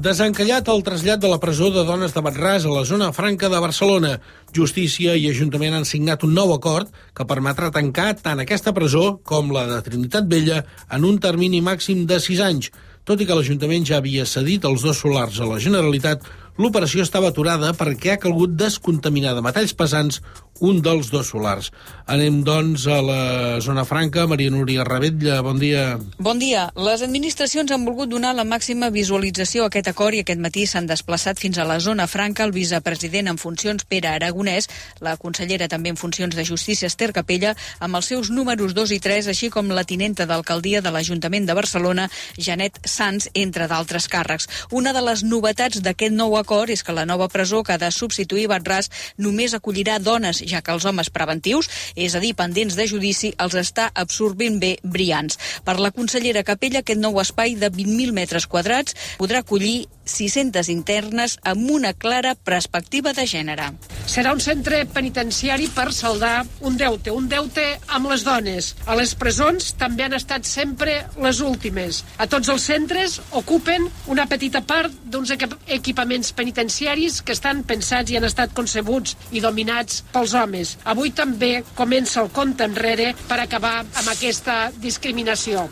Desencallat el trasllat de la presó de dones de Batràs a la zona franca de Barcelona. Justícia i Ajuntament han signat un nou acord que permetrà tancar tant aquesta presó com la de Trinitat Vella en un termini màxim de 6 anys. Tot i que l'Ajuntament ja havia cedit els 2 solars a la Generalitat, l'operació estava aturada perquè ha calgut descontaminar de metalls pesants un dels 2 solars. Anem, doncs, a la zona franca. Maria Núria Ravella, bon dia. Bon dia. Les administracions han volgut donar la màxima visualització a aquest acord i aquest matí s'han desplaçat fins a la zona franca el vicepresident en funcions Pere Aragonès, la consellera també en funcions de Justícia Esther Capella, amb els seus números 2 i 3, així com la tinenta d'alcaldia de l'Ajuntament de Barcelona, Janet Sans, entre d'altres càrrecs. Una de les novetats d'aquest nou acord és que la nova presó que ha de substituir Batràs només acollirà dones, ja que els homes preventius, és a dir, pendents de judici, els està absorbint bé Brians. Per la consellera Capella, aquest nou espai de 20.000 metres quadrats podrà acollir 600 internes amb una clara perspectiva de gènere. Serà un centre penitenciari per saldar un deute amb les dones. A les presons també han estat sempre les últimes. A tots els centres ocupen una petita part d'uns equipaments penitenciaris que estan pensats i han estat concebuts i dominats pels homes. Avui també comença el compte enrere per acabar amb aquesta discriminació.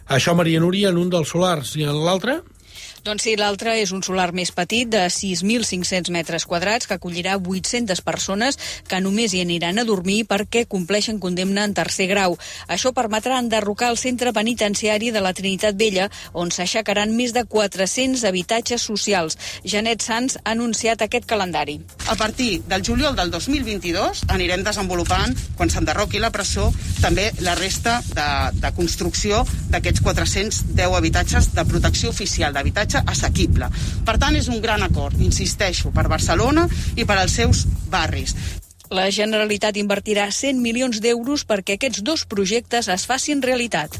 Això, Maria Núria, en un dels solars, i en l'altre? Doncs sí, l'altre és un solar més petit de 6.500 metres quadrats que acollirà 800 persones que només hi aniran a dormir perquè compleixen condemna en tercer grau. Això permetrà enderrocar el centre penitenciari de la Trinitat Vella, on s'aixecaran més de 400 habitatges socials. Janet Sans ha anunciat aquest calendari. A partir del juliol del 2022 anirem desenvolupant, quan s'enderroqui la presó, també la resta de construcció d'aquests 410 habitatges de protecció oficial, d'habitatge assequible. Per tant, és un gran acord, insisteixo, per Barcelona i per als seus barris. La Generalitat invertirà 100 milions d'euros perquè aquests 2 projectes es facin realitat.